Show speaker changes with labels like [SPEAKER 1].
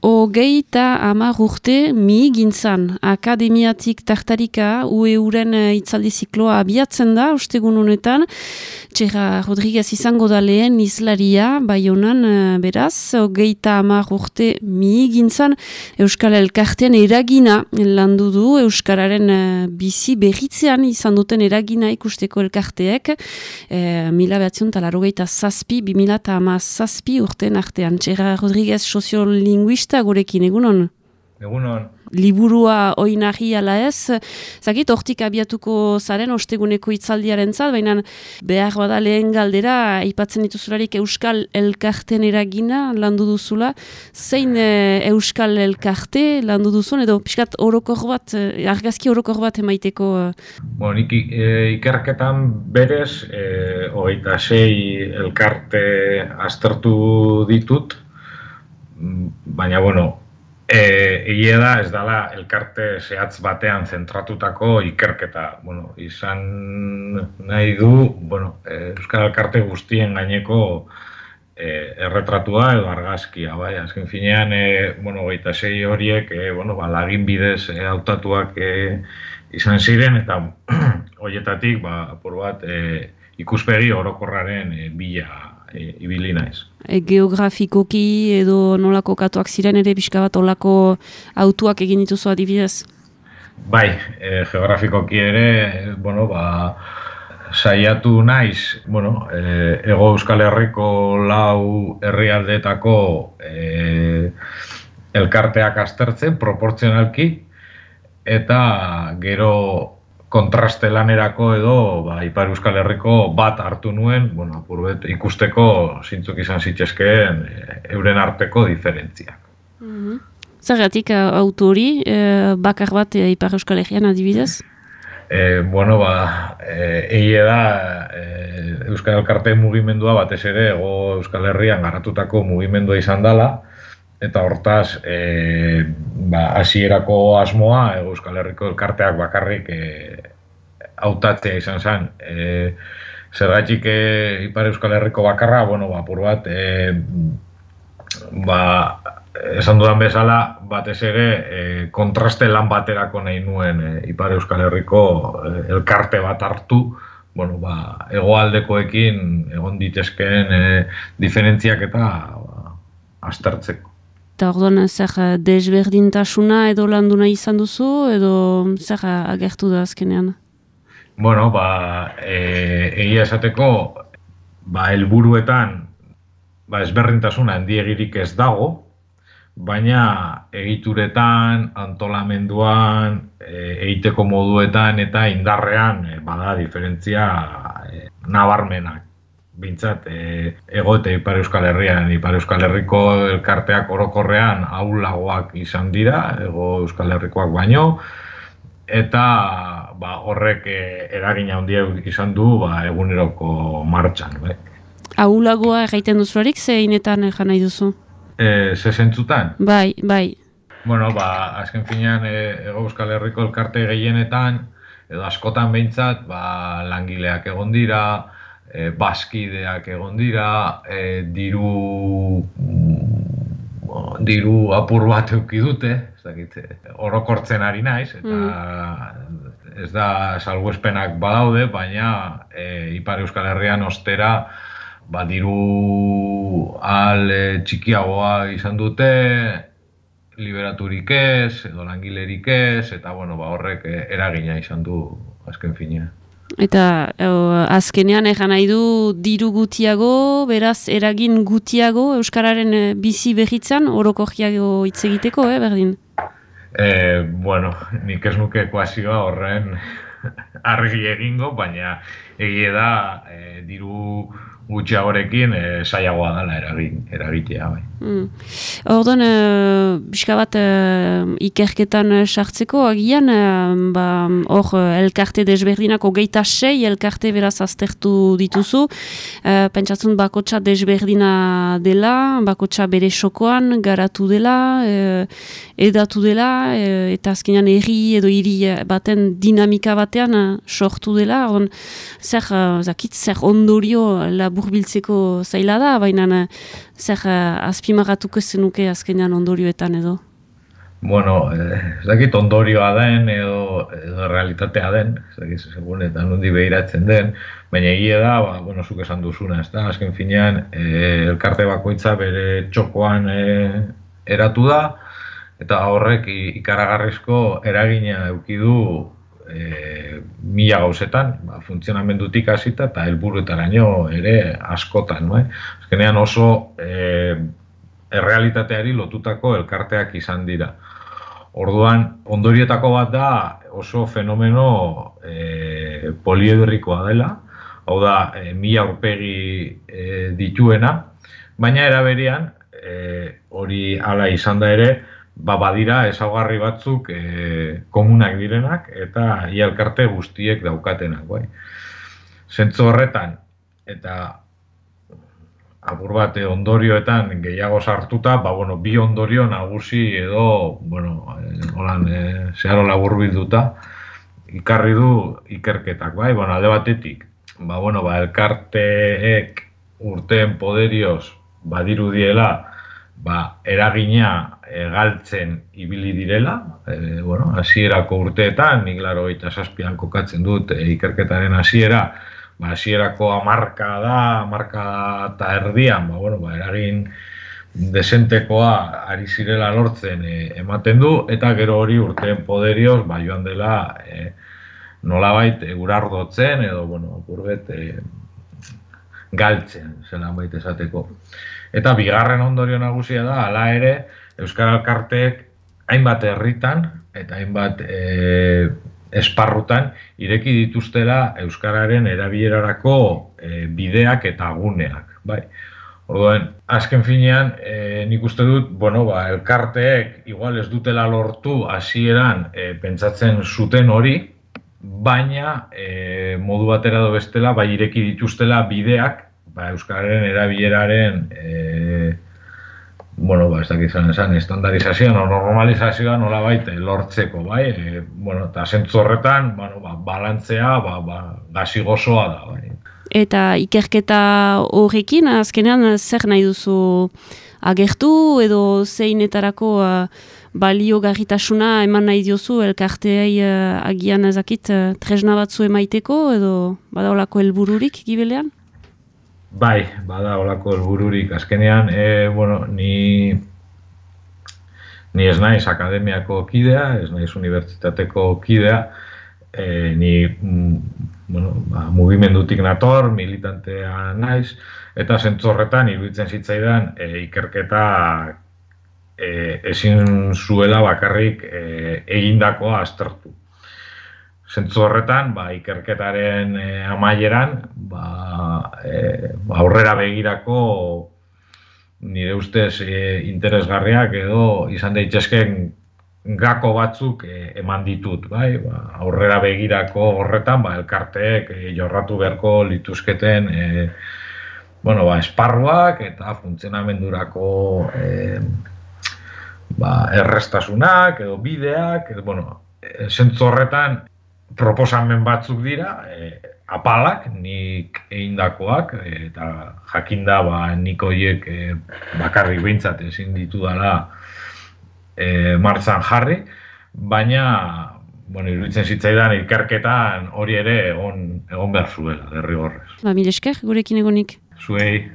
[SPEAKER 1] 30 urte mihigintzan akademiatik tartarika UEUren itzaldi zikloa abiatzen da, ostegun honetan. Txera Rodriguez izango da lehen izlaria, Baionan beraz, 30 urte mihigintzan Euskal Elkartean eragina landu du, Euskararen bizi berritzean izan duten eragina ikusteko elkarteek, 1987-2017 urten artean. Txera Rodriguez soziolinguista gurekin, egunon?
[SPEAKER 2] Egunon.
[SPEAKER 1] Liburua oinarri ala ez, zakit, hortik abiatuko zaren osteguneko itzaldiaren zat, baina behar bada lehen galdera, aipatzen dituzularik Euskal Elkarten eragina landu duzula, zein Euskal Elkarte landu duzun, edo pixkat orokor bat, argazki orokor bat emaiteko?
[SPEAKER 2] Nik ikerketan berez, 26 elkarte aztertu ditut, baina, egia da ez dela elkarte zehatz batean zentratutako ikerketa. Izan nahi du, Euskal Elkarte guztien gaineko erretratua edo argazkia, bai. Azken finean, 26 horiek, lagin bidez hautatuak izan ziren, eta horietatik, apur bat, ikuspegi orokorraren bila ibili naiz.
[SPEAKER 1] Geografikoki edo nolako katuak ziren ere pixka bat olako autuak egin dituzu adibidez?
[SPEAKER 2] Bai, geografikoki ere, saiatu naiz, Hego Euskal Herriko 4 herrialdeetako elkarteak aztertzen, proportzionalki, eta gero kontraste lanerako edo Ipar Euskal Herriko bat hartu nuen, apurbet ikusteko zintzuk izan zitzezkeen euren arteko diferentziak.
[SPEAKER 1] Zergatik auto hori, bakar bat Ipar Euskal Herrian adibidez?
[SPEAKER 2] Egia da Euskal Elkarte mugimendua batez ere Hego Euskal Herrian garatutako mugimendua izan dela, eta hortaz, hasierako asmoa Euskal Herriko elkarteak bakarrik hautatzea izan zen. Zergatik Ipar Euskal Herriko bakarra, apur bat, esan dudan bezala, batez ere kontraste lan baterako nahi nuen Ipar Euskal Herriko elkarte bat hartu, hegoaldekoekin egon ditezkeen diferentziak eta aztertzeko.
[SPEAKER 1] Eta orduan, zer desberdintasuna edo landu nahi izan duzu, edo zer agertu da azkenean?
[SPEAKER 2] Egia esateko, helburuetan ezberdintasuna handiegirik ez dago, baina egituretan, antolamenduan, egiteko moduetan eta indarrean bada diferentzia nabarmenak. Bintzat, Hego eta Ipar Euskal Herrian, Ipar Euskal Herriko elkarteak orokorrean ahulagoak izan dira, Hego Euskal Herrikoak baino, eta horrek eragina handia izan du eguneroko martxan.
[SPEAKER 1] Ahulagoa egiten duzularik, zeinetan egan nahi duzu?
[SPEAKER 2] Ze zentzutan?
[SPEAKER 1] Bai.
[SPEAKER 2] Azken finean, Hego Euskal Herriko elkarte gehienetan, edo askotan behintzat, langileak egon dira, bazkideak egon dira, diru apur bat eduki dute, orokortzen ari naiz, eta ez da salbuespenak badaude, baina Ipar Euskal Herrian ostera diru txikiagoa izan dute, liberaturik ez, edo langilerik ez, eta horrek eragina izan du azken finean.
[SPEAKER 1] Eta azkenean egan nahi du diru gutiago, beraz eragin gutiago Euskararen bizi berritzan, orokorriago hitz egiteko, berdin?
[SPEAKER 2] Nik ez nuke ekuazioa horren argi egingo, baina egia da diru gutxiagorekin zailagoa dela eragitea.
[SPEAKER 1] Orduan, pixka bat ikerketan sartzeko, agian, hor elkarte desberdinak 26 elkarte beraz aztertu dituzu, pentsatzen bakotxa desberdina dela, bakotxa bere sokoan garatu dela, edatu dela, eta azkenean herri edo hiri baten dinamika batean sortu dela, zer ondorio laburbiltzeko zaila da, baina zer azpimarratuko zenuke azkenean ondorioetan edo?
[SPEAKER 2] Bueno, ez dakit ondorioa den edo realitatea den, ez dakit segun eta nondi behiratzen den, baina egia da, bueno, zuk esan duzuna, ez da, azken finean elkarte bakoitza bere txokoan eratu da, eta horrek ikaragarrizko eragina eduki du mila gauzetan, funtzionamendutik hasita eta helburuetaraino ere askotan, bai? Azkenean oso errealitateari lotutako elkarteak izan dira. Orduan, ondorietako bat da oso fenomeno poliedrikoa dela, hau da, 1000 aurpegi dituena, baina eraberian, hori hala izan da ere, badira ezaugarri batzuk komunak direnak eta ia elkarte guztiek daukatenak. Bai. Zentzu horretan, eta apur bat ondorioetan gehiago sartuta, bi ondorio nagusi edo, zeharo laburbilduta, ikarri du ikerketak, bai? Alde batetik, elkarteek urteen poderioz badirudiela, eragina galtzen ibili direla, hasierako urteetan, nik 87an kokatzen dut ikerketaren hasiera, hasierako hamarkada eta erdian, eragin desentekoa ari zirela lortzen ematen du, eta gero hori urteen poderioz joan dela nolabait urardotzen edo, galtzen, zelan baita esateko. Eta bigarren ondorio nagusia da, hala ere, Euskal Elkarteek hainbat herritan eta hainbat esparrutan ireki dituztela euskararen erabilerarako bideak eta guneak, bai. Orduan, azken finean, nik uste dut, elkarteek igual ez dutela lortu hasieran pentsatzen zuten hori, baina modu batera edo bestela ireki dituztela bideak euskararen erabileraren ez dakit esan estandarizazioan o normalizazioan nolabait lortzeko, bai? Eta zentzu horretan, balantzea, gazi gozoa da, bai.
[SPEAKER 1] Eta ikerketa horrekin, azkenean zer nahi duzu agertu edo zeinetarako baliogarritasuna eman nahi diozu elkarteei agian ezakit tresna batzu emaiteko edo badaolako helbururik gibelean?
[SPEAKER 2] Bai, bada olako helbururik. Azkenean, ni ez naiz akademiako kidea, ez naiz unibertsitateko kidea, ni mugimendutik nator, militantea naiz, eta zentzu horretan iruditzen zitzaidan ikerketa ezin zuela bakarrik egindakoa aztertu. Zentzu horretan, ikerketaren amaieran, aurrera begirako nire ustez interesgarriak edo izan daitezkeen gako batzuk eman ditut, bai? Aurrera begirako horretan, elkarteek jorratu beharko lituzketen esparruak eta funtzionamendurako errestasunak edo bideak, zentzu horretan proposamen batzuk dira, apalak, nik egindakoak, eta jakinda nik horiek bakarrik behintzat ezin ditudala martxan jarri, baina iruditzen zitzaidan ikerketan hori ere egon behar zuela, derrigorrez.
[SPEAKER 1] Mil esker, gurekin egonik.
[SPEAKER 2] Zuei.